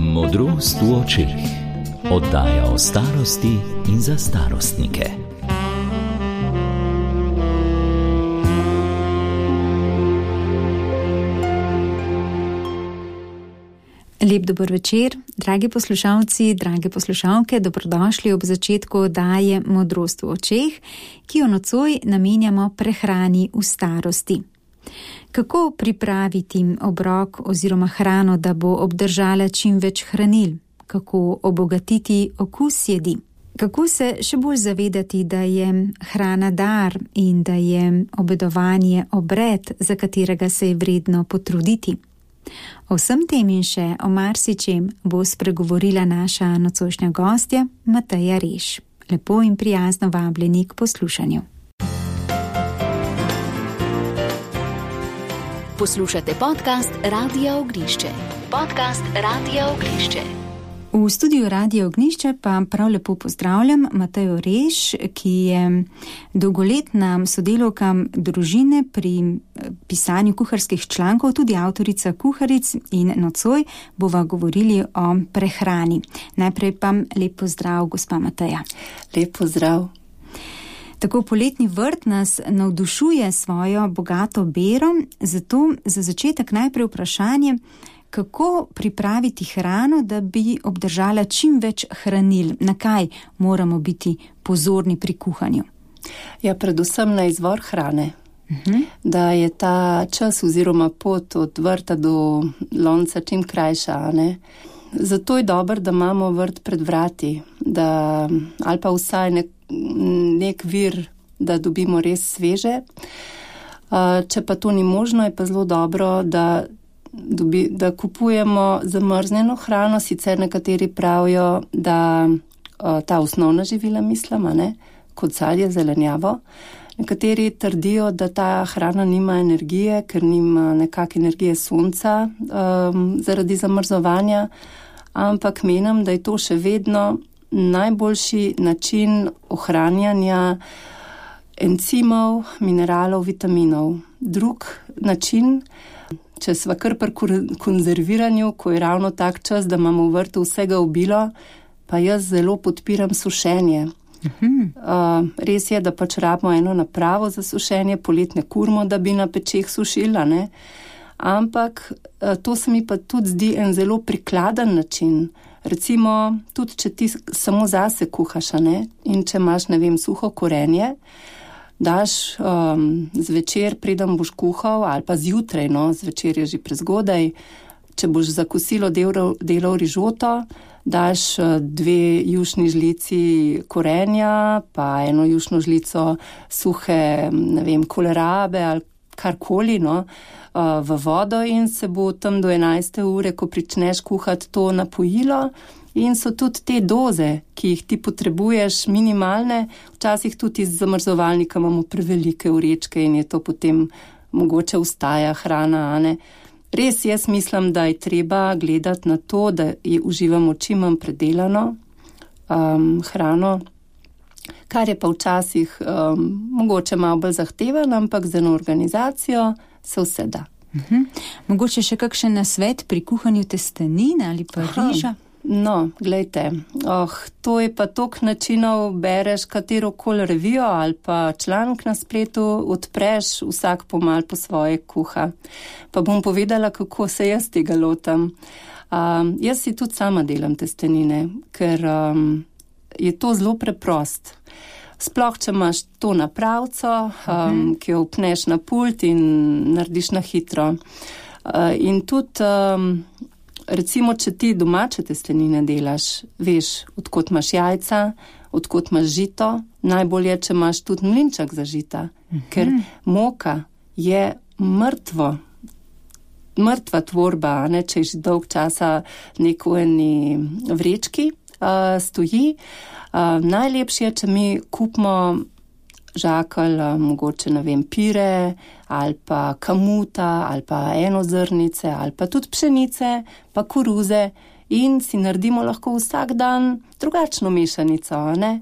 Modrost v očeh. Oddaja o starosti in za starostnike. Lep dober večer, dragi poslušalci, drage poslušalke, dobrodošli ob začetku oddaje Modrost v očeh, ki jo nocoj namenjamo prehrani v starosti. Kako pripraviti obrok oziroma hrano, da bo obdržala čim več hranil? Kako obogatiti okus jedi? Kako se še bolj zavedati, da je hrana dar in da je obedovanje obred, za katerega se je vredno potruditi? O vsem tem in še o marsičem bo spregovorila naša nocojšnja gostja Mateja Reš. Lepo in prijazno vabljeni k poslušanju. Poslušate podcast Radia Ognišče. V studiu Radia Ognišče pa prav lepo pozdravljam Matejo Reš, ki je dolgoletna sodelavka družine pri pisanju kuharskih člankov, tudi avtorica kuharic, in nocoj bova govorili o prehrani. Najprej pa lep pozdrav, gospa Mateja. Lep pozdrav. Tako poletni vrt nas navdušuje svojo bogato bero, zato za začetek najprej vprašanje, kako pripraviti hrano, da bi obdržala čim več hranil? Na kaj moramo biti pozorni pri kuhanju? Ja, predvsem na izvor hrane. Da je ta čas oziroma pot od vrta do lonca čim krajša, ne? Zato je dobro, da imamo vrt pred vrati, ali pa vsaj nek vir, da dobimo res sveže. Če pa to ni možno, je pa zelo dobro, da kupujemo zamrznjeno hrano. Sicer nekateri pravijo, da ta osnovna živila mislimo, kot sadje, zelenjavo. Nekateri trdijo, da ta hrana nima energije, ker nima nekak energije sonca zaradi zamrzovanja, ampak menim, da je to še vedno najboljši način ohranjanja encimov, mineralov, vitaminov. Drug način, če sva kar pri konzerviranju, ko je ravno tak čas, da imamo v vrtu vsega obilo, pa jaz zelo podpiram sušenje. Res je, da pač rabimo eno napravo za sušenje, poletne kurmo, da bi na pečeh sušila, ne? Ampak to se mi pa tudi zdi en zelo prikladen način. Recimo, tudi če ti samo zase kuhaš, ne? In če imaš, suho korenje, daš zvečer, preden boš kuhal, ali pa zjutraj, zvečer je že prezgodaj, če boš za kosilo delal rižoto, daš 2 jušni žlici korenja, pa 1 jušno žlico suhe, kolerabe ali karkoli, v vodo, in se bo tam do 11. ure, ko pričneš kuhati, to napojilo. In so tudi te doze, ki jih ti potrebuješ, minimalne. Včasih tudi iz zamrzovalnika imamo prevelike vrečke in je to potem mogoče ostaja hrana, ne? Res jaz mislim, da je treba gledati na to, da uživamo čim manj predelano hrano, kar je pa včasih mogoče malo bolj zahteven, ampak za eno organizacijo se vse da. Mogoče še kakšen nasvet pri kuhanju testenin ali pa riža? No, glejte, to je pa toliko načinov, bereš katerokoli revijo ali pa članek na spletu, odpreš, vsak pomal po svoje kuha. Pa bom povedala, kako se jaz tega lotam. Jaz si tudi sama delam testenine, ker je to zelo preprost. Sploh, če imaš to napravco, ki jo upneš na pult in narediš na hitro. In tudi recimo, če ti domače testenine delaš, veš, odkot imaš jajca, odkot imaš žito, najbolje, če imaš tudi mlinček za žita, ker moka je mrtva tvorba, ne, če je že dolg časa neko eni vrečki stoji. Najlepše je, če mi kupimo žakelj, mogoče, pire, ali pa kamuta, ali pa enozrnice, ali pa tudi pšenice, pa koruze, in si naredimo lahko vsak dan drugačno mešanico, ne?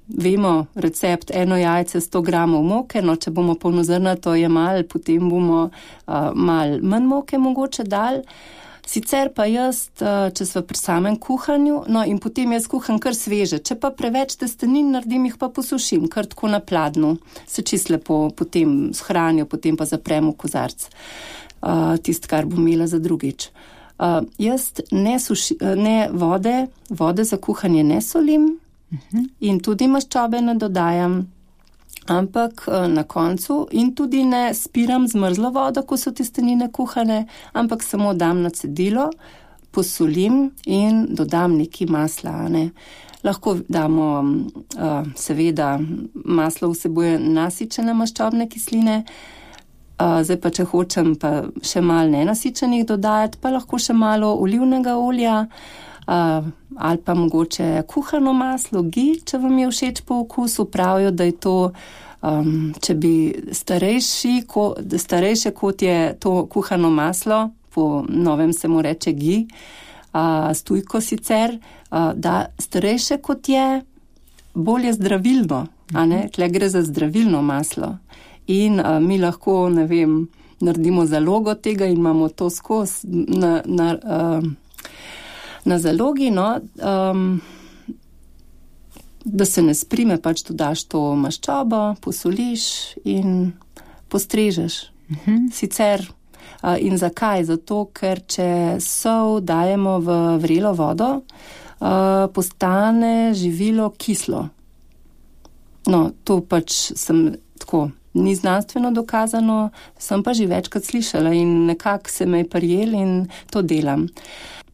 Vemo recept 1 jajce 100 gramov moke, če bomo polnozrnato jemali, potem bomo malo manj moke mogoče dali. Sicer pa jaz, če sva pri samem kuhanju, no in potem jaz kuham kar sveže. Če pa preveč testenin naredim, jih pa posušim, kar tako na pladnju. Se čisto lepo potem shranijo, potem pa zaprem v kozarc. Tisto, kar bom imela za drugič. Jaz ne vode za kuhanje ne solim in tudi maščobe ne dodajam. Ampak na koncu in tudi ne spiram zmrzlo vodo, ko so testenine kuhane, ampak samo dam na cedilo, posolim in dodam neki masla. Ne. Lahko damo, seveda, maslo vsebuje nasičene maščobne kisline, zdaj pa če hočem pa še malo nenasičenih dodajati, pa lahko še malo olivnega olja, ali pa mogoče kuhano maslo, ghee, če vam je všeč po okusu. Pravijo, da je to, če bi starejše kot je to kuhano maslo, po novem se mu reče ghee, stujko sicer, da starejše kot je, bolj je zdravilno, a ne? Tle gre za zdravilno maslo. In mi lahko, ne vem, naredimo zalogo tega in imamo to skozi na zalogi, no, da se ne sprime, pač dodaš to maščobo, posoliš in postrežeš. Sicer, in zakaj? Zato, ker če sol dajemo v vrelo vodo, postane živilo kislo. No, to pač ni znanstveno dokazano, sem pa že večkrat slišala in nekako se me je prijel in to delam.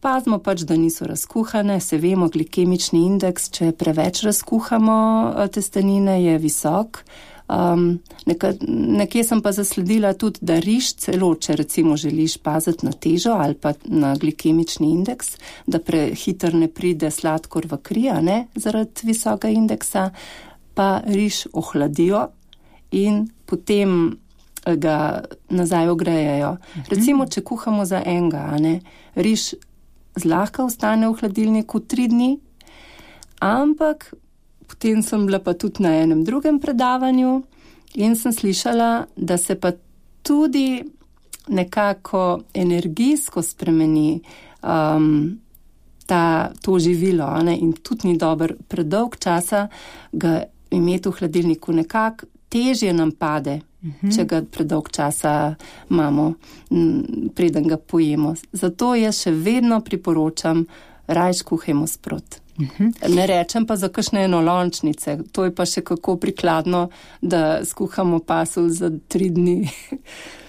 Pazimo pač, da niso razkuhane, se vemo, glikemični indeks, če preveč razkuhamo testenine, je visok. Nekje sem pa zasledila tudi, da riž celo, če recimo želiš paziti na težo ali pa na glikemični indeks, da prehiter ne pride sladkor v kri, ne, zaradi visokega indeksa, pa riž ohladijo in potem ga nazaj ogrejejo. Recimo, če kuhamo za enega, ne, riž zlahka ostane v hladilniku 3 dni, ampak potem sem bila pa tudi na enem drugem predavanju in sem slišala, da se pa tudi nekako energijsko spremeni to živilo, ne, in tudi ni dober predolg časa ga imeti v hladilniku, nekako težje nam pade, če ga predolg časa imamo, preden ga pojemo. Zato jaz še vedno priporočam, rajš kuhajmo sprot. Ne rečem pa za kakšne enolončnice, to je pa še kako prikladno, da skuhamo pasulj za 3 dni.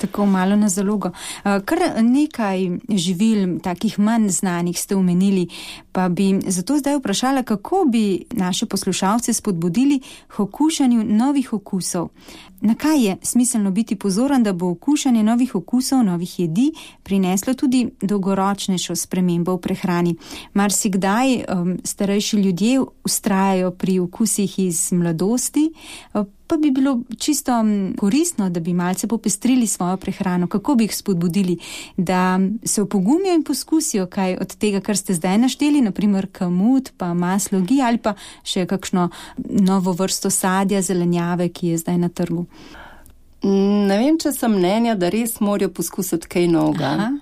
Tako malo na zalogo. Kar nekaj živil, takih manj znanih ste omenili, pa bi zato zdaj vprašala, kako bi naše poslušalce spodbudili k okušanju novih okusov. Na kaj je smiselno biti pozoren, da bo okušanje novih okusov, novih jedi prineslo tudi dolgoročnejšo spremembo v prehrani? Marsikdaj starejši ljudje vztrajajo pri okusih iz mladosti, pa bi bilo čisto koristno, da bi malce popestrili svojo prehrano. Kako bi jih spodbudili, da se opogumijo in poskusijo kaj od tega, kar ste zdaj našteli, naprimer kamut, pa maslo ghee ali pa še kakšno novo vrsto sadja, zelenjave, ki je zdaj na trgu? Ne vem, če sem mnenja, da res morajo poskusiti kaj novega.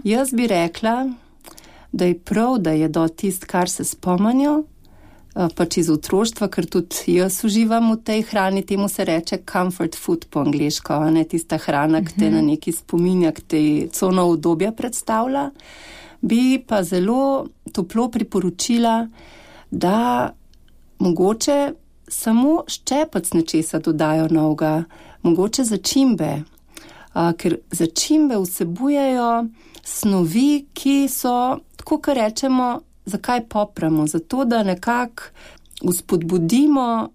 Jaz bi rekla, da je prav, da je do tist, kar se spomnijo, pač iz otroštva, ker tudi jaz uživam v tej hrani, temu se reče comfort food po angleško, ne, tista hrana, ki te na neki spominja, ki te cono obdobja predstavlja, bi pa zelo toplo priporočila, da mogoče samo ščepec nečesa dodajo novega, mogoče začimbe, ker začimbe vsebujejo snovi, ki so, tako kar rečemo, zakaj popramo? Zato, da nekako vzpodbudimo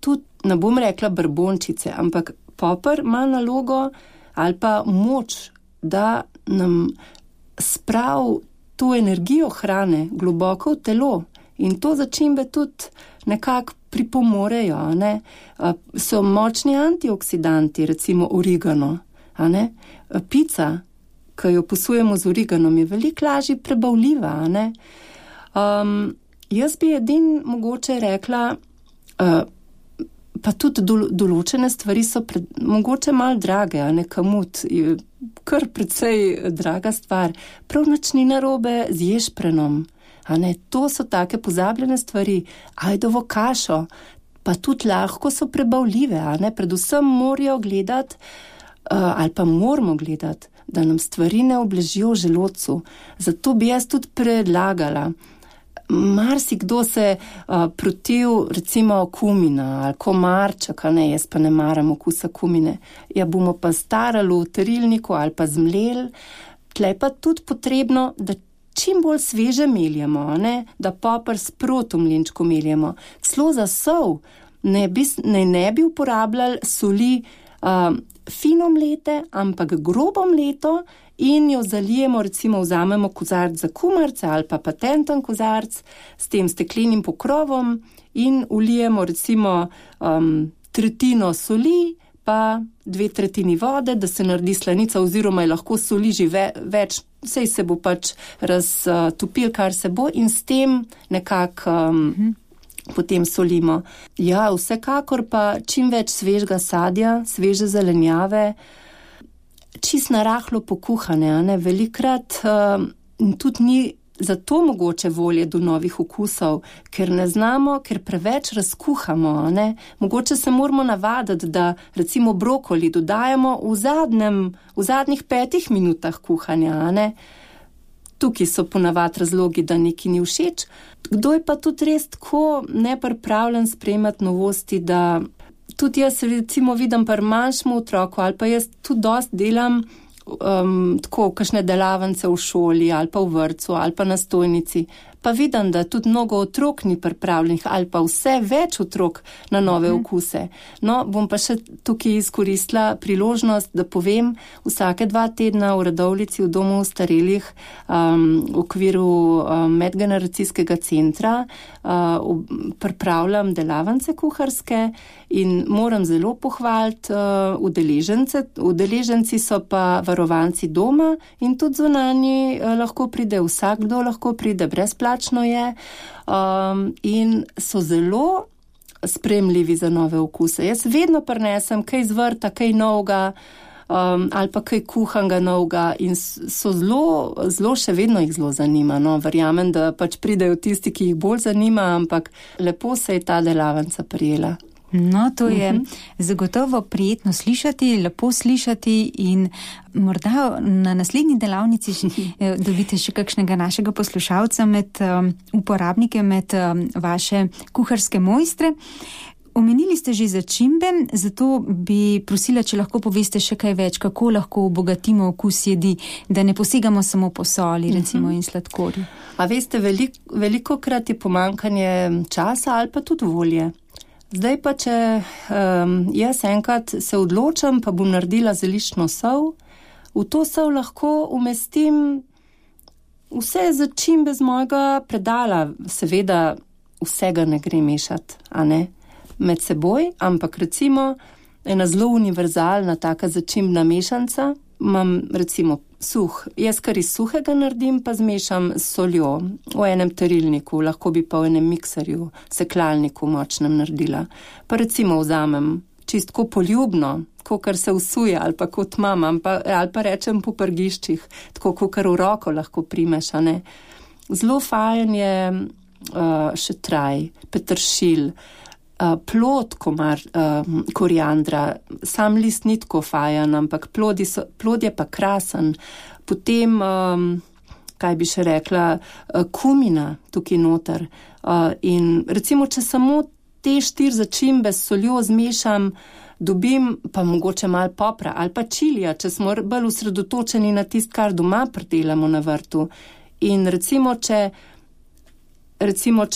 tudi, ne bom rekla brbončice, ampak popr ima nalogo ali pa moč, da nam spravi to energijo hrane globoko v telo. In to začimbe tudi nekako pripomorejo, ne? So močni antioksidanti, recimo origano, a ne? Pica, ki jo posujemo z origanom, je veliko lažje prebavljiva, a ne? Jaz bi edin mogoče rekla, Pa tudi določene stvari so mogoče malo drage, a ne, kamut, kar precej draga stvar. Prav nič ni narobe z ješprenom, a ne, to so take pozabljene stvari. Ajdovo kašo, pa tudi lahko so prebavljive, a ne, predvsem morajo gledati, ali pa moramo gledati, da nam stvari ne obležijo v želodcu. Zato bi jaz tudi predlagala, marsikdo se protiv recimo kumina ali komarčka, ne, jaz pa ne maram okusa kumine. Ja, bomo pa starali v terilniku ali pa zmleli. Tle pa tudi potrebno, da čim bolj sveže meljemo, ne, da popr sprot v mlinčku meljemo. Celo za sol ne bi uporabljali soli fino mlete, ampak grobo mleto, in jo zalijemo, recimo vzamemo kozarc za kumarce ali pa patenten kozarc s tem steklenim pokrovom in ulijemo recimo tretjino soli pa 2/3 vode, da se naredi slanica, oziroma je lahko soli že več, sej se bo pač raztopil, kar se bo, in s tem nekako potem solimo. Ja, vsekakor pa čim več svežega sadja, sveže zelenjave, čist narahlo pokuhane, a ne, velikrat tudi ni zato mogoče volje do novih okusov, ker ne znamo, ker preveč razkuhamo, a ne. Mogoče se moramo navaditi, da recimo brokoli dodajamo v zadnjih 5 minutah kuhanja, a ne. Tukaj so ponavadi razlogi, da neki ni všeč. Kdo je pa tudi res tako nepripravljen sprejemati novosti, da tudi jaz recimo vidim pri manjšem otroku, ali pa jaz tudi dosti delam tako kakšne delavnice v šoli ali pa v vrtcu ali pa na stojnici, pa vidim, da tudi mnogo otrok ni pripravljenih ali pa vse več otrok na nove okuse. No, bom pa še tukaj izkoristila priložnost, da povem, vsake 2 tedna v Radovljici v domu starelih v okviru medgeneracijskega centra pripravljam delavnice kuharske in moram zelo pohvaliti udeležence. Udeleženci so pa varovanci doma in tudi zunanji lahko pride, vsakdo lahko pride, brezplačno je, in so zelo sprejemljivi za nove okuse. Jaz vedno prinesem kaj z vrta, kaj novega, ali pa kaj kuhanga novega, in so zelo še vedno jih zelo zanima. No, verjamem, da pač pridejo tisti, ki jih bolj zanima, ampak lepo se je ta delavnica prijela. No, to je zagotovo prijetno slišati, lepo slišati, in morda na naslednji delavnici dobite še kakšnega našega poslušalca med uporabnike, med vaše kuharske mojstre. Omenili ste že začimbe, zato bi prosila, če lahko poveste še kaj več, kako lahko obogatimo okus jedi, da ne posegamo samo po soli, recimo, in sladkorju. A veste, velikokrat je pomanjkanje časa ali pa tudi volje. Zdaj pa, če jaz enkrat se odločam, pa bom naredila zeliščno sol, v to sol lahko umestim vse začimbe z mojega predala. Seveda vsega ne gre mešati, a ne, med seboj, ampak recimo ena zelo univerzalna taka začimbna mešanca, imam recimo jaz kar iz suhega naredim, pa zmešam s soljo v enem terilniku, lahko bi pa v enem mikserju, seklalniku močnem naredila. Pa recimo vzamem čistko poljubno, kakor se usuje, ali pa kot imam, ali pa rečem po prgiščih, tako kakor v roko lahko primeš, a ne. Zelo fajn je še traj, peteršilj, plod koriandra, sam list ni tako fajan, ampak plod je pa krasen. Potem, kaj bi še rekla, kumina tukaj noter. In recimo, če samo te 4 začimbe s soljo zmešam, dobim pa mogoče malo popra ali pa čilija, če smo bolj osredotočeni na tist, kar doma pridelamo na vrtu. In recimo, če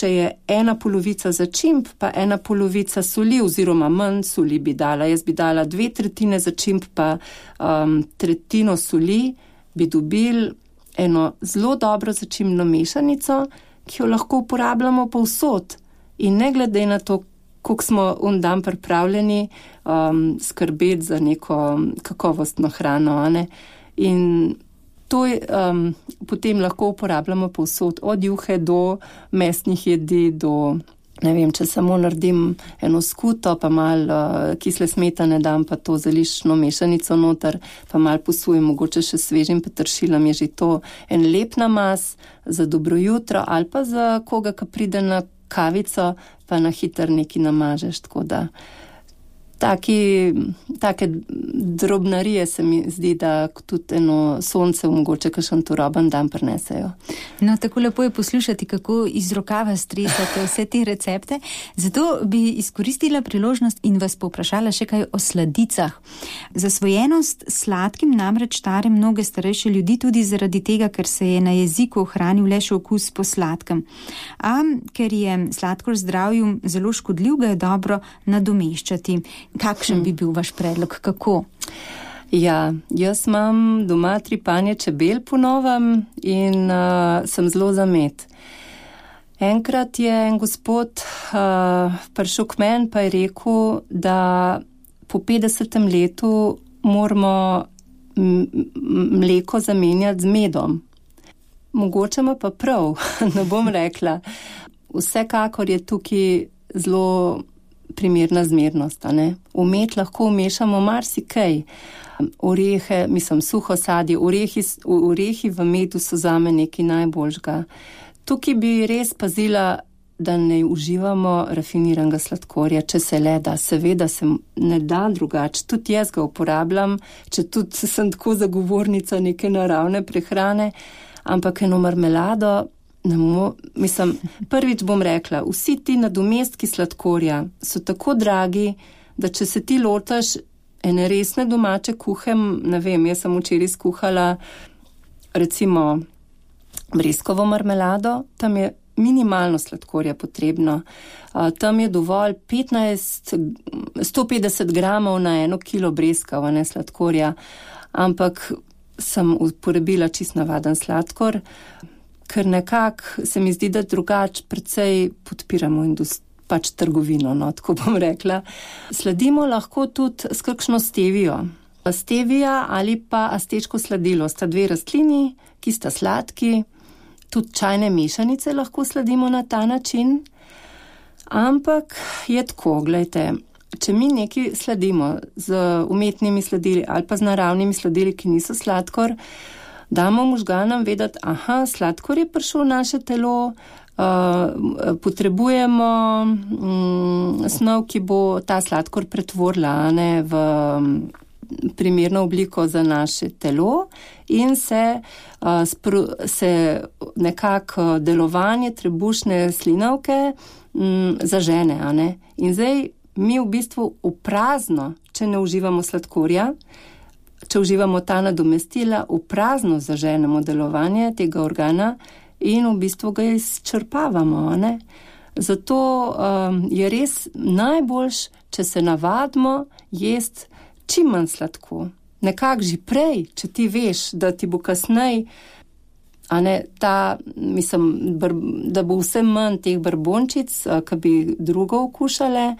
je 1/2 začimb, pa 1/2 soli, oziroma manj soli bi dala. Jaz bi dala 2/3 začimb, pa 1/3 soli, bi dobil eno zelo dobro začimbno mešanico, ki jo lahko uporabljamo povsod. In ne glede na to, koliko smo dan pripravljeni skrbeti za neko kakovostno hrano, a ne. In to je, potem lahko uporabljamo povsod, od juhe do mesnih jedi, do Ne vem, če samo naredim eno skuto, pa malo kisle smetane dam, pa to zeliščno mešanico noter, pa malo posujem, mogoče še svežim peteršiljem, je že to en lep namaz za dobro jutro ali pa za koga, ki pride na kavico, pa na hiter neki namažeš, tako da take drobnarije se mi zdi, da tudi eno sonce mogoče kakšen turoben dan prinesejo. No, tako lepo je poslušati, kako iz rokava stresate vse te recepte. Zato bi izkoristila priložnost in vas povprašala še kaj o sladicah. Zasvojenost sladkim namreč tare mnoge starejše ljudi tudi zaradi tega, ker se je na jeziku ohranil le še okus po sladkem. A ker je sladkor zdravju zelo škodljiv, ga je dobro nadomeščati. Kakšen bi bil vaš predlog? Kako? Ja, jaz imam doma 3 panje čebel po novem in sem zelo za med. Enkrat je en gospod prišel k meni pa je rekel, da po 50. letu moramo mleko zamenjati z medom. Mogoče ima pa prav, ne bom rekla. Vsekakor je tukaj zelo primerna zmernost, a ne? V med lahko vmešamo marsikaj. Orehe, suho sadje, orehi v medu so zame nekaj najboljšega. Tukaj bi res pazila, da ne uživamo rafiniranega sladkorja, če se le da. Seveda se ne da drugače. Tudi jaz ga uporabljam, če tudi sem tako zagovornica neke naravne prehrane, ampak eno marmelado prvič bom rekla, vsi ti nadomestki sladkorja so tako dragi, da če se ti lotaš ene resne domače kuhe, ne vem, jaz sem včeraj skuhala recimo breskovo marmelado, tam je minimalno sladkorja potrebno. Tam je dovolj 150 gramov na 1 kilo breskava, ne sladkorja, ampak sem uporabila čist navaden sladkor, ker nekako se mi zdi, da drugače precej podpiramo trgovino, no, tako bom rekla. Sladimo lahko tudi s kakšno stevijo. Stevija ali pa aztečko sladilo sta 2 rastlini, ki sta sladki, tudi čajne mešanice lahko sladimo na ta način, ampak je tako, glejte, če mi nekaj sladimo z umetnimi sladili ali pa z naravnimi sladili, ki niso sladkor, damo možganom vedeti, sladkor je prišel v naše telo, potrebujemo snov, ki bo ta sladkor pretvorila v primerno obliko za naše telo in se nekako delovanje trebušne slinavke zažene. In zdaj mi v bistvu v prazno, če ne uživamo sladkorja, če uživamo ta nadomestila, v prazno zaženemo delovanje tega organa in v bistvu ga izčrpavamo, ne? Zato je res najboljš, če se navadimo jesti čim manj sladko. Nekako že prej, če ti veš, da ti bo kasnej, da bo vse manj teh brbončic, ki bi drugo okušale,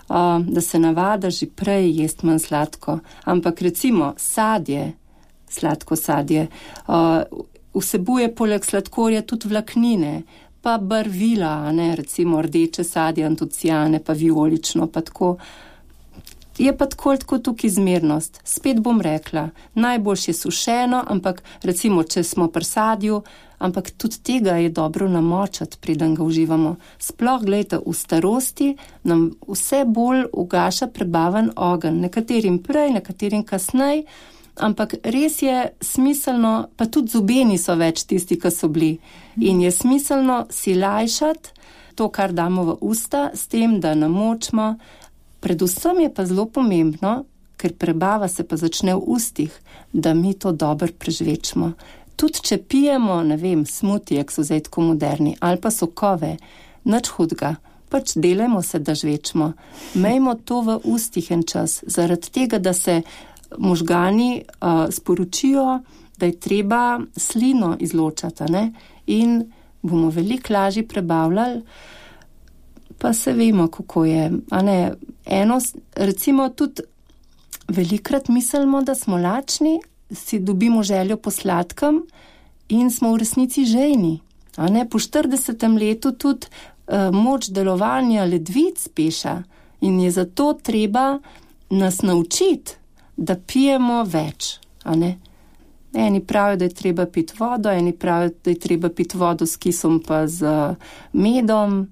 da se navada že prej jesti manj sladko. Ampak recimo sadje, sladko sadje, vsebuje poleg sladkorja tudi vlaknine, pa barvila, recimo rdeče sadje, antociane, pa vijolično, pa tako. Je pa tako tukaj zmernost. Spet bom rekla, najboljš je sušeno, ampak recimo, če smo pri sadju, ampak tudi tega je dobro namočati, preden ga uživamo. Sploh, gledajte, v starosti nam vse bolj ugaša prebaven ogenj. Nekaterim prej, nekaterim kasnej, ampak res je smiselno, pa tudi zubi niso več tisti, ki so bili. In je smiselno si lajšati to, kar damo v usta, s tem, da namočimo. Predvsem je pa zelo pomembno, ker prebava se pa začne v ustih, da mi to dobro prežvečimo. Tudi če pijemo, smutije, ki so zdaj tako moderni, ali pa sokove, nič hudega, pač delajmo se, da žvečimo. Mejmo to v ustih en čas, zaradi tega, da se možgani sporočijo, da je treba slino izločati, in bomo veliko lažje prebavljali, pa se vemo, kako je. Recimo tudi velikrat mislimo, da smo lačni, si dobimo željo po sladkem in smo v resnici žejni. Po 40. letu tudi moč delovanja ledvic peša in je zato treba nas naučiti, da pijemo več, a ne? Eni pravijo, da je treba piti vodo, eni pravijo, da je treba piti vodo s kisom pa z medom,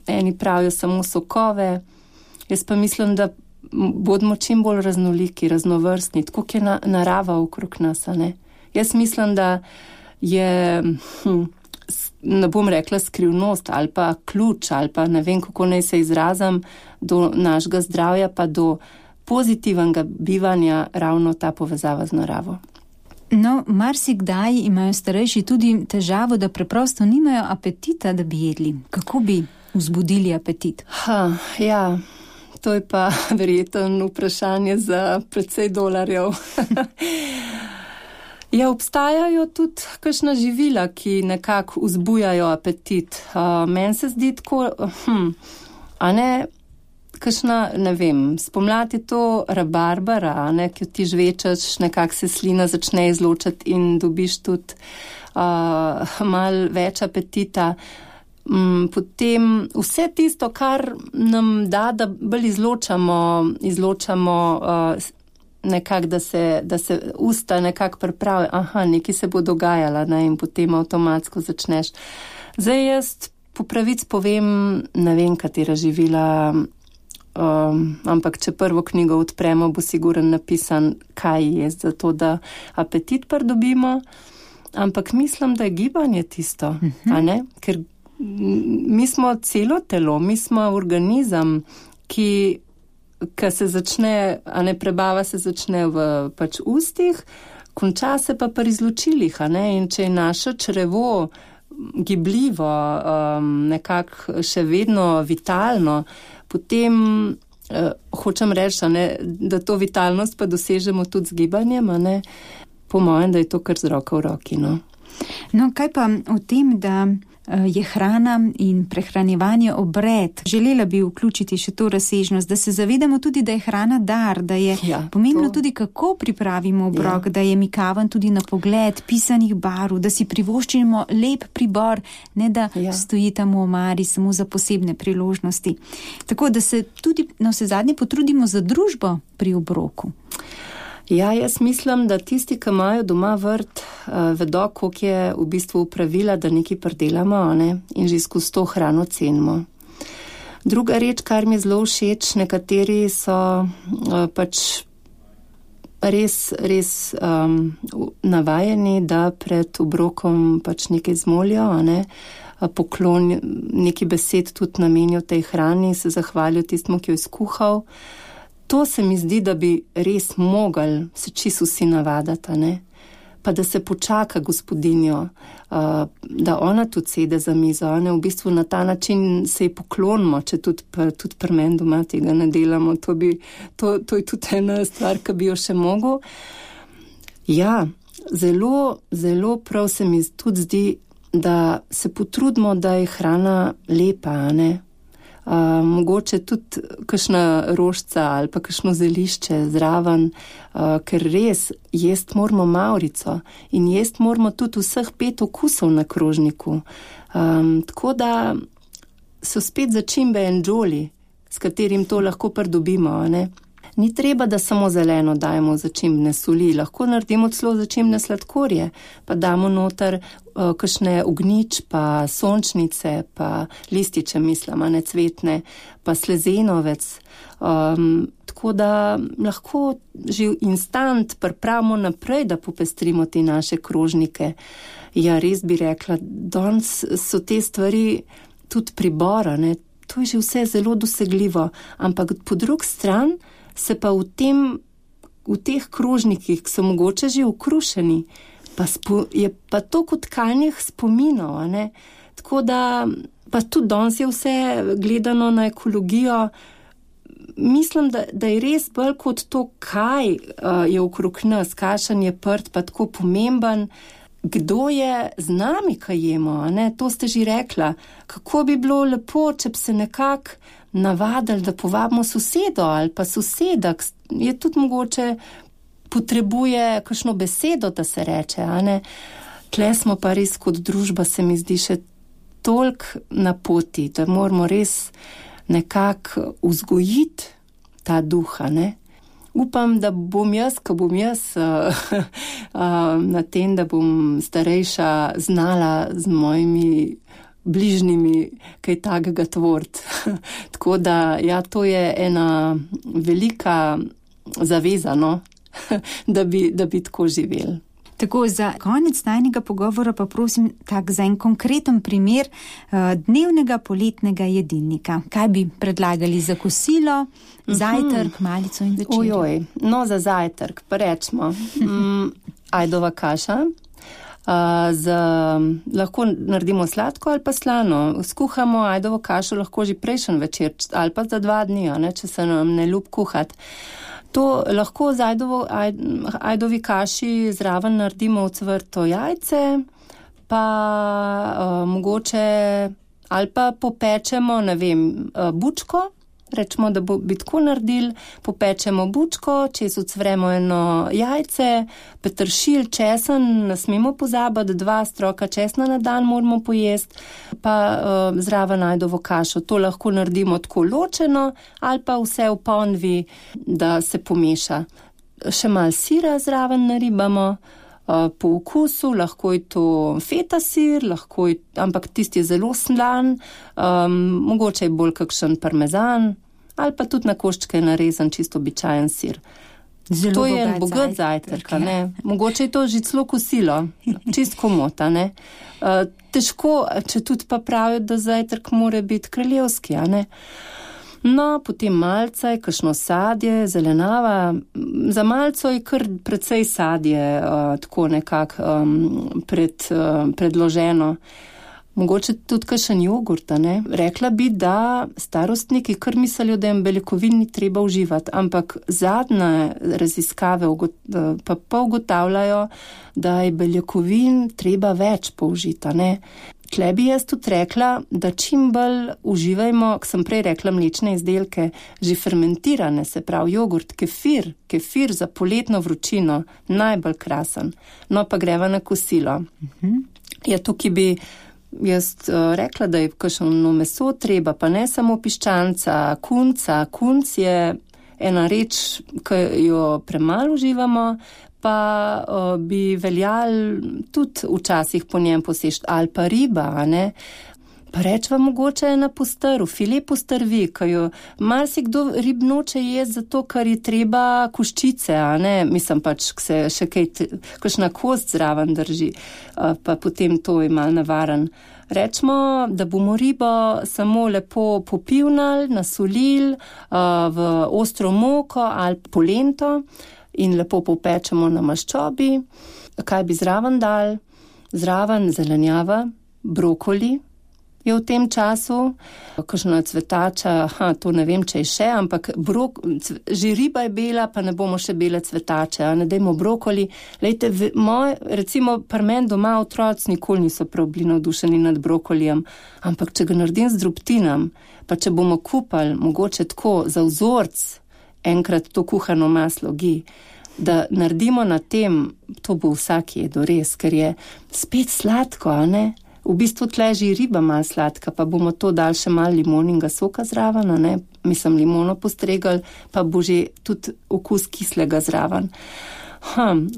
eni pravijo samo sokove. Jaz pa mislim, da bodimo čim bolj raznoliki, raznovrstni, tako je narava okrog nas, a ne? Jaz mislim, da je, ne bom rekla skrivnost ali pa ključ ali pa ne vem, kako naj se izrazim, do našega zdravja pa do pozitivnega bivanja ravno ta povezava z naravo. No, marsikdaj imajo starejši tudi težavo, da preprosto nimajo apetita, da bi jedli. Kako bi vzbudili apetit? Ja, to je pa verjetno vprašanje za precej dolarjev. Ja, obstajajo tudi kakšna živila, ki nekako vzbujajo apetit. Meni se zdi tako, a ne, kakšna, ne vem, spomladi to rabarbara, ne, ki ti žvečaš, nekako se slina začne izločati in dobiš tudi malo več apetita. Potem vse tisto, kar nam da bolj izločamo nekako, da se usta nekako pripravijo, nekaj se bo dogajalo, ne, in potem avtomatsko začneš. Zdaj jaz po pravic povem, ne vem, katera živila, ampak če prvo knjigo odpremo, bo siguren napisan, kaj je zato, da apetit pridobimo, ampak mislim, da je gibanje tisto, a ne? Ker mi smo celo telo, mi smo organizem, ki se začne, a ne, prebava se začne v pač ustih, konča se pa pri izločilih, a ne, in če je naše črevo gibljivo, nekako še vedno vitalno, potem hočem reči, a ne, da to vitalnost pa dosežemo tudi z gibanjem, a ne, po mojem, da je to kar z roko v roki, no. No, kaj pa o tem, da je hrana in prehranjevanje obred? Želela bi vključiti še to razsežnost, da se zavedamo tudi, da je hrana dar, da je pomembno tudi, kako pripravimo obrok, da je mikaven tudi na pogled, pisanih barv, da si privoščimo lep pribor, ne da stoji tam v omari samo za posebne priložnosti. Tako da se tudi na vsezadnje potrudimo za družbo pri obroku. Ja, jaz mislim, da tisti, ki imajo doma vrt, vedo, koliko je v bistvu upravila, da nekaj pridelamo, ne? In že skozi to hrano cenimo. Druga reč, kar mi je zelo všeč, nekateri so pač res navajeni, da pred obrokom pač nekaj zmolijo, ne? Poklon, nekaj besed tudi namenijo tej hrani, se zahvalijo tistmu, ki jo je skuhal. To se mi zdi, da bi res mogli se čisto vsi navadati, ne? Pa da se počaka gospodinjo, da ona tudi sede za mizo, ne? V bistvu na ta način se ji poklonimo, če tudi pri meni doma tega ne delamo. To je tudi ena stvar, ki bi jo še mogel. Ja, zelo, zelo prav se mi tudi zdi, da se potrudimo, da je hrana lepa, ne? Mogoče tudi kakšna rožica ali pa kakšno zelišče zraven, ker res jest moramo mavrico in jest moramo tudi vseh 5 okusov na krožniku. Tako da so spet začimbe en džoli, s katerim to lahko pridobimo, ne? Ni treba, da samo zeleno dajemo začimbne soli, lahko naredimo celo začimbne sladkorje, pa damo noter kakšne ognjič, pa sončnice, pa lističe, mislim, ne cvetne, pa slezenovec. Tako da lahko že instant pripravimo naprej, da popestrimo te naše krožnike. Ja, res bi rekla, danes so te stvari tudi pribora, ne? To je že vse zelo dosegljivo, ampak po drugi strani se pa v teh krožnikih, ki so mogoče že ukrušeni, je pa to kot tkanjih spominov, a ne? Tako da, pa tudi danes je vse gledano na ekologijo. Mislim, da je res bolj kot to, kaj je okrog nas, kakšen je prt, pa tako pomemben, kdo je z nami, kaj jemo, a ne? To ste že rekla. Kako bi bilo lepo, če bi se nekako navadili, da povabimo sosedo ali pa soseda, je tudi mogoče potrebuje kakšno besedo, da se reče, a ne? Tle smo pa res kot družba, se mi zdi, še toliko na poti, da moramo res nekako vzgojiti ta duha, ne. Upam, da bom jaz, ko bom jaz na tem, da bom starejša znala z mojimi bližnjimi kaj takega tvoriti. Tako da, ja, to je ena velika zaveza, no, da bi tako živeli. Tako, za konec najnega pogovora pa prosim tak za en konkreten primer dnevnega poletnega jedilnika. Kaj bi predlagali za kosilo, zajtrk, malico in večerjo? Ojoj, no za zajtrk pa rečemo ajdova kaša. Lahko naredimo sladko ali pa slano. Skuhamo ajdovo kašo lahko že prejšnji večer ali pa za 2 dni, ne, če se nam ne ljub kuhati. To lahko z ajdovi kaši zraven naredimo ocvrto jajce, pa mogoče ali pa popečemo, ne vem, bučko. Rečemo, da bi tako naredili, popečemo bučko, čez ucvremo eno jajce, peteršilj, česen, ne smemo pozabiti, 2 stroka česna na dan moramo pojesti, pa zraven ajdovo kašo. To lahko naredimo tako ločeno ali pa vse v ponvi, da se pomeša. Še malo sira zraven naribamo, po okusu, lahko je to feta sir, ampak tisti je zelo slan, mogoče je bolj kakšen parmezan, ali pa tudi na koščke narezan čisto običajen sir. Zelo to je bogat zajtrk, ne? Mogoče je to že celo kosilo, čist komota, ne? Težko, če tudi pa pravijo, da zajtrk mora biti kraljevski, a ne? No, potem malce, kakšno sadje, zelenava. Za malco je kar precej sadje, tako nekako predloženo. Mogoče tudi kakšen jogurt, ne? Rekla bi, da starostniki kar mislijo, da jim beljakovin ni treba uživati, ampak zadnje raziskave pa ugotavljajo, da je beljakovin treba več použiti, ne? Tle bi jaz tudi rekla, da čim bolj uživajmo, ko sem prej rekla mlečne izdelke, že fermentirane, se pravi jogurt, kefir za poletno vročino, najbolj krasen. No, pa greva na kosilo. Ja, tukaj bi jaz rekla, da je kakšno meso treba, pa ne samo piščanca, kunca. Kunc je ena reč, ki jo premalo uživamo, pa bi veljali tudi včasih po njem posešti, ali pa riba, ne? Pa rečva mogoče na postrv, file postrvi, ki jo marsikdo rib noče jesti zato, ker je treba koščice, a ne? Mislim pač, se še kakšna kost zraven drži, pa potem to je malo navaren. Rečemo, da bomo ribo samo lepo popivnali, nasolili v ostro moko ali polento, in lepo popečemo na maščobi. Kaj bi zraven dal? Zraven zelenjava, brokoli je v tem času, kakšna cvetača, to ne vem, če je še, ampak že riba je bela, pa ne bomo še bele cvetače, ne dajmo brokoli. Lejte, recimo pri meni doma otroci nikoli niso prav bili navdušeni nad brokolijem, ampak če ga naredim z drobtinam, pa če bomo kupali mogoče tako za vzorc, enkrat to kuhano maslo da naredimo na tem, to bo vsak jedel res, ker je spet sladko, a ne? V bistvu tle že riba malo sladka, pa bomo to dali še malo limoninga soka zraven, a ne? Mislim, limono postregali, pa bo že tudi okus kislega zraven.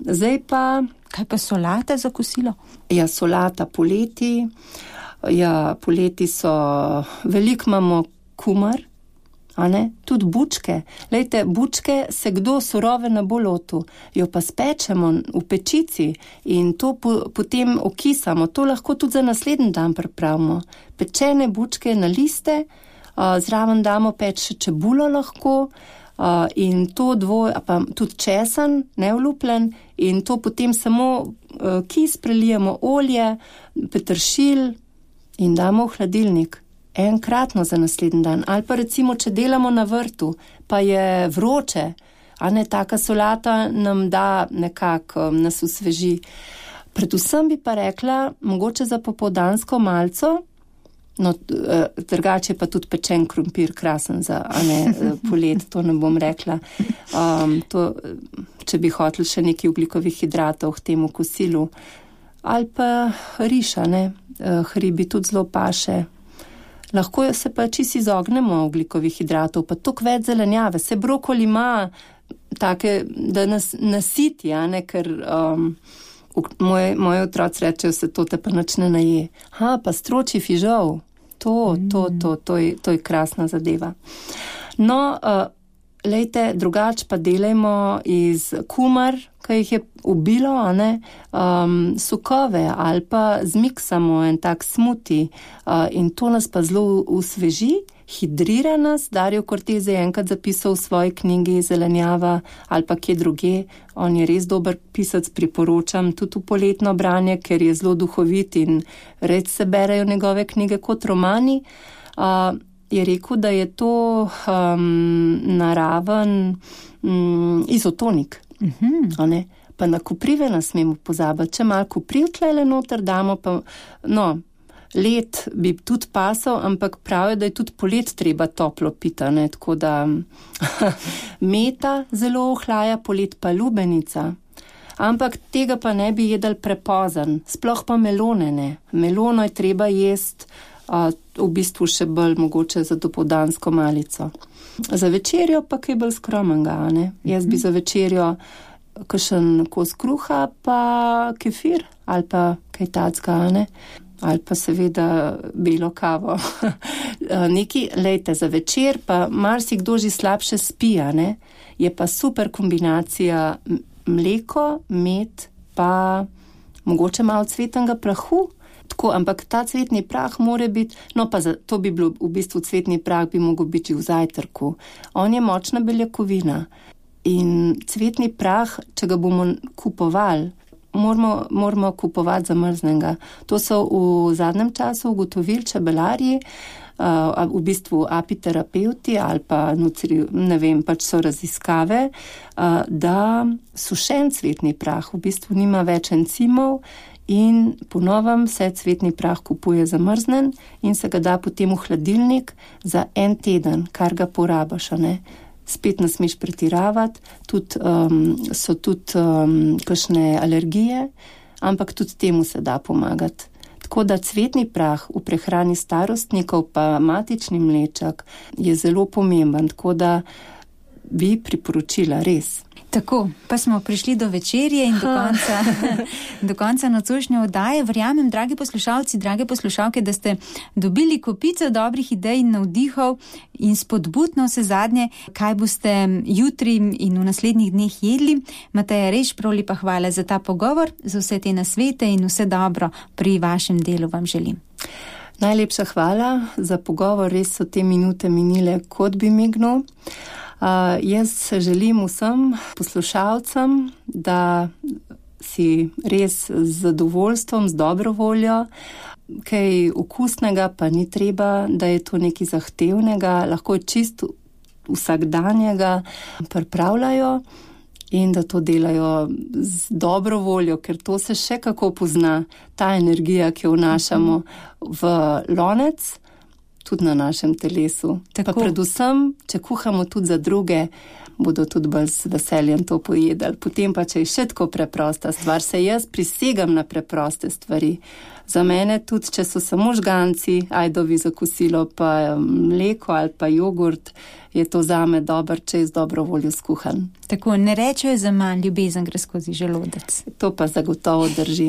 Zdaj pa... Kaj pa solata za kosilo? Ja, solata poleti. Ja, poleti so... Veliko imamo kumar, a ne? Tudi bučke. Lejte, bučke se kdo surove na bolotu, jo pa spečemo v pečici in to potem okisamo. To lahko tudi za naslednji dan pripravimo. Pečene bučke na liste, zraven damo peč še čebulo lahko in to pa tudi česen, neolupljen, in to potem samo kis prelijemo olje, peteršilj in damo v hladilnik. Enkratno za naslednji dan. Ali pa recimo, če delamo na vrtu, pa je vroče, a ne, taka solata nam da nekako, nas osveži. Predvsem bi pa rekla, mogoče za popoldansko malco, no, drugače pa tudi pečen krompir krasen za, a ne, polet, to ne bom rekla. To, če bi hoteli še nekaj ogljikovih hidratov k temu kosilu, ali pa riša, ne, hribi tudi zelo paše. Lahko se pa čisto izognemo ogljikovih hidratov, pa toliko več zelenjave. Se brokoli ima take, da nas nasiti, ne, ker moji otroci rečejo, se to te pa nič ne naje. Pa stročji fižol, to je krasna zadeva. No, lejte, drugače pa delajmo iz kumar, ki jih je ubilo, sokove ali pa zmiksamo en tak smuti in to nas pa zelo usveži, hidrira nas. Dario Cortez je enkrat zapisal v svoji knjigi Zelenjava ali pa kje druge. On je res dober pisac, priporočam tudi v poletno branje, ker je zelo duhovit in res se berejo njegove knjige kot romani. Je rekel, da je to naraven izotonik. Pa na koprive nas smemo pozabiti. Če malo kopriv tlele noter damo, pa led bi tudi pasal, ampak pravijo, da je tudi polet treba toplo pita, ne? Tako da meta zelo ohlaja, polet pa lubenica. Ampak tega pa ne bi jedel prepozen, sploh pa melone ne. Melono je treba jesti v bistvu še bolj mogoče za dopoldansko malico. Za večerjo pa kaj bolj skromnega, ne? Jaz bi za večerjo kakšen kos kruha pa kefir ali pa kaj tacka, ne? Ali pa seveda belo kavo. Lejte, za večer pa marsikdo že slabše spi, ne? Je pa super kombinacija mleko, med pa mogoče malo cvetnega prahu. Tako, ampak ta cvetni prah mora biti, to bi bilo v bistvu cvetni prah bi mogel biti v zajtrku. On je močna beljakovina in cvetni prah, če ga bomo kupovali, moramo kupovati zamrznega. To so v zadnjem času ugotovili čebelarji, v bistvu apiterapeuti ali pa pač so raziskave, da sušen cvetni prah v bistvu nima več encimov in po novem se cvetni prah kupuje zamrznen in se ga da potem v hladilnik za 1 teden, kar ga porabiš, ne. Spet ne smeš pretiravati, so tudi kakšne alergije, ampak tudi temu se da pomagati. Tako da cvetni prah v prehrani starostnikov pa matični mlečak je zelo pomemben, tako da bi priporočila res. Tako, pa smo prišli do večerje in do konca nocojšnje oddaje. Verjamem, dragi poslušalci, drage poslušalke, da ste dobili kopico dobrih idej in navdihov in spodbudno vse zadnje, kaj boste jutri in v naslednjih dneh jedli. Mateja Reš, prav lepa hvala za ta pogovor, za vse te nasvete in vse dobro pri vašem delu vam želim. Najlepša hvala za pogovor, res so te minute minile, kot bi mignil. Jaz želim vsem poslušalcem, da si res z zadovoljstvom, z dobro voljo, kaj okusnega pa ni treba, da je to nekaj zahtevnega, lahko je čisto vsakdanjega pripravljajo in da to delajo z dobro voljo, ker to se še kako pozna, ta energija, ki jo vnašamo v lonec, tudi na našem telesu. Tako. Pa predvsem, če kuhamo tudi za druge, bodo tudi bolj z veseljem to pojedali. Potem pa, če je še tako preprosta stvar, se jaz prisegam na preproste stvari. Za mene tudi, če so samo žganci, ajdovi za kosilo, pa mleko ali pa jogurt, je to zame dober, če je z dobro voljo skuhan. Tako, ne rečejo za manj, ljubezen gre skozi želodec. To pa zagotovo drži.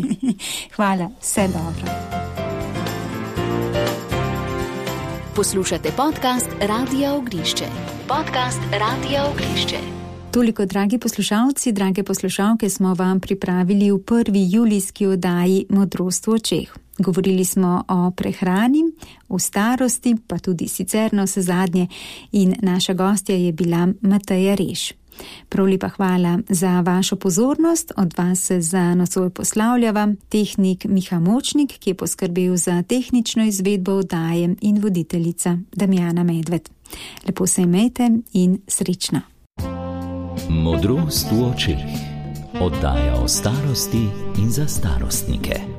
Hvala, vse dobro. Poslušate podcast Radia Ognišče. Podcast Radia Ognišče. Toliko, dragi poslušalci, drage poslušalke, smo vam pripravili v 1. julijski oddaji Modrost v očeh. Govorili smo o prehrani, v starosti, pa tudi sicer na vse zadnje in naša gostja je bila Mateja Reš. Prav lepa hvala za vašo pozornost, od vas se za nocoj poslavljava tehnik Miha Močnik, ki je poskrbel za tehnično izvedbo oddaje in voditeljica Damjana Medved. Lepo se imejte in srečno. Modrost v očeh. Oddaja o starosti in za starostnike.